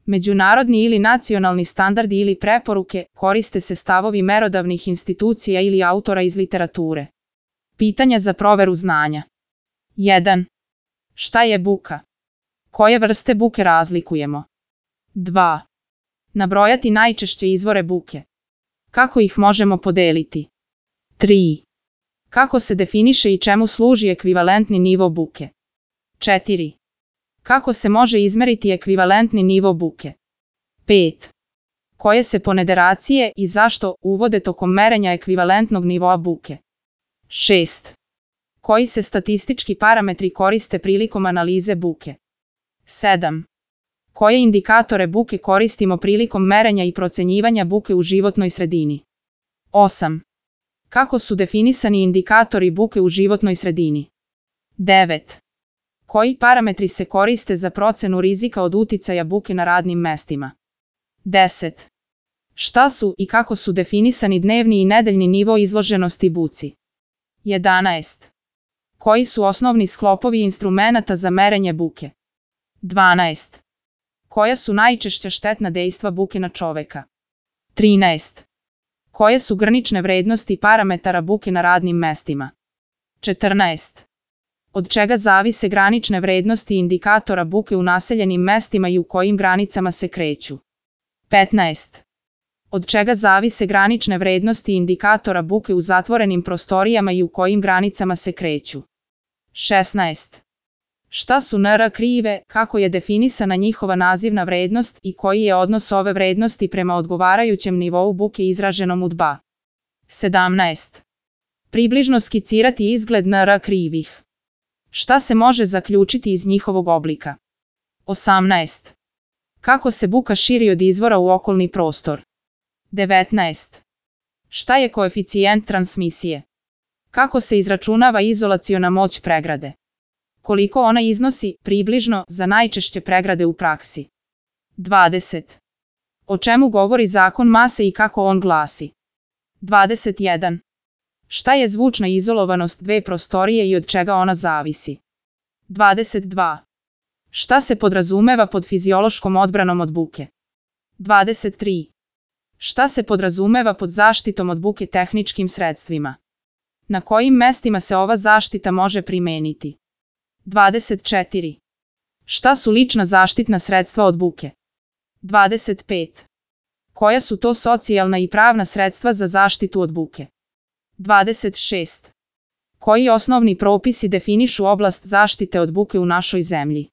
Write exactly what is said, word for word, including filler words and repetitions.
Međunarodni ili nacionalni standardi ili preporuke, koriste se stavovi merodavnih institucija ili autora iz literature. Pitanja za proveru znanja. jedan. Šta je buka? Koje vrste buke razlikujemo? dva. Nabrojati najčešće izvore buke. Kako ih možemo podeliti? tri. Kako se definiše i čemu služi ekvivalentni nivo buke? četiri. Kako se može izmeriti ekvivalentni nivo buke? pet. Koje se ponderacije i zašto uvode tokom merenja ekvivalentnog nivoa buke? šest. Koji se statistički parametri koriste prilikom analize buke? sedam. Koje indikatore buke koristimo prilikom merenja i procenjivanja buke u životnoj sredini? osam. Kako su definisani indikatori buke u životnoj sredini? devet. Koji parametri se koriste za procenu rizika od uticaja buke na radnim mestima? deset. Šta su i kako su definisani dnevni i nedeljni nivo izloženosti buci? jedanaest. Koji su osnovni sklopovi instrumenata za merenje buke? dvanaest. Koja su najčešća štetna dejstva buke na čoveka? trinaest. Koje su granične vrednosti parametara buke na radnim mestima? četrnaest. Od čega zavise granične vrednosti indikatora buke u naseljenim mestima i u kojim granicama se kreću? petnaest. Od čega zavise granične vrednosti indikatora buke u zatvorenim prostorijama i u kojim granicama se kreću? šesnaest. Šta su N R krive, kako je definisana njihova nazivna vrednost i koji je odnos ove vrednosti prema odgovarajućem nivou buke izraženom u dva? sedamnaest. Približno skicirati izgled N R krivih. Šta se može zaključiti iz njihovog oblika? osamnaest. Kako se buka širi od izvora u okolni prostor? devetnaest. Šta je koeficijent transmisije? Kako se izračunava izolaciona moć pregrade? Koliko ona iznosi, približno, za najčešće pregrade u praksi? dvadeset. O čemu govori zakon mase i kako on glasi? dvadeset jedan. Šta je zvučna izolovanost dve prostorije i od čega ona zavisi? dvadeset dva. Šta se podrazumeva pod fiziološkom odbranom od buke? dvadeset tri. Šta se podrazumeva pod zaštitom od buke tehničkim sredstvima? Na kojim mestima se ova zaštita može primeniti? dvadeset četiri. Šta su lična zaštitna sredstva od buke? dvadeset pet. Koja su to socijalna i pravna sredstva za zaštitu od buke? dvadeset šest. Koji osnovni propisi definišu oblast zaštite od buke u našoj zemlji?